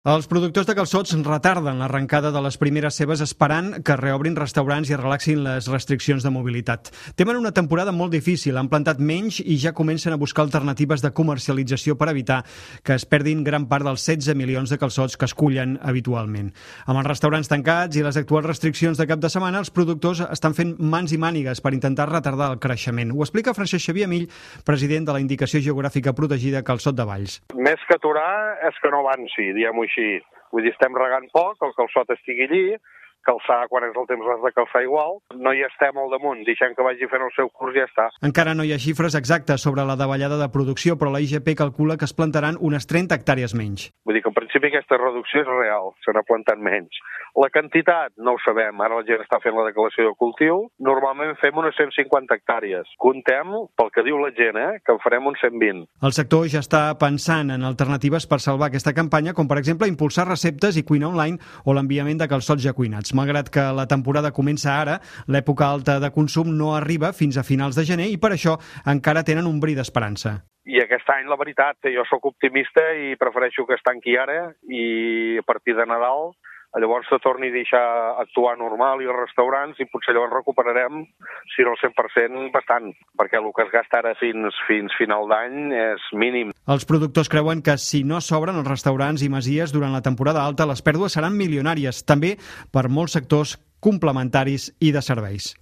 Els productors de calçots retarden l'arrencada de les primeres cebes esperant que reobrin restaurants i es relaxin les restriccions de mobilitat. Temen una temporada molt difícil, han plantat menys i ja comencen a buscar alternatives de comercialització per evitar que es perdin gran part dels 16 milions de calçots que es cullen habitualment. Amb els restaurants tancats i les actuals restriccions de cap de setmana, els productors estan fent mans i mànigues per intentar retardar el creixement. Ho explica Francesc Xavier Amill, president de la Indicació Geogràfica Protegida Calçot de Valls. Més que aturar és que no avanci, diguem-ho així. Vull dir, estem regant poc, el calçot estigui allí, calçar quan és el temps l'has de calçar igual, no hi estem al damunt, deixem que vagi fent el seu curs i ja està. Encara no hi ha xifres exactes sobre la davallada de producció, però la IGP calcula que es plantaran unes 30 hectàrees menys. Vull dir que en principi aquesta reducció és real, se n'ha plantat menys. La quantitat no ho sabem, ara la gent està fent la declaració de cultiu, normalment fem unes 150 hectàrees. Contem, pel que diu la gent, que en farem uns 120. El sector ja està pensant en alternatives per salvar aquesta campanya, com per exemple impulsar receptes i cuina online o l'enviament de calçots ja cuinats. Malgrat que la temporada comença ara, l'època alta de consum no arriba fins a finals de gener i per això encara tenen un bri d'esperança. I aquest any, la veritat, jo sóc optimista i prefereixo que es tanqui ara i a partir de Nadal llavors se torni a deixar actuar normal i els restaurants i potser llavors recuperarem, si no el 100%, bastant, perquè el que es gasta ara fins final d'any és mínim. Els productors creuen que si no s'obren els restaurants i masies durant la temporada alta, les pèrdues seran milionàries, també per molts sectors complementaris i de serveis.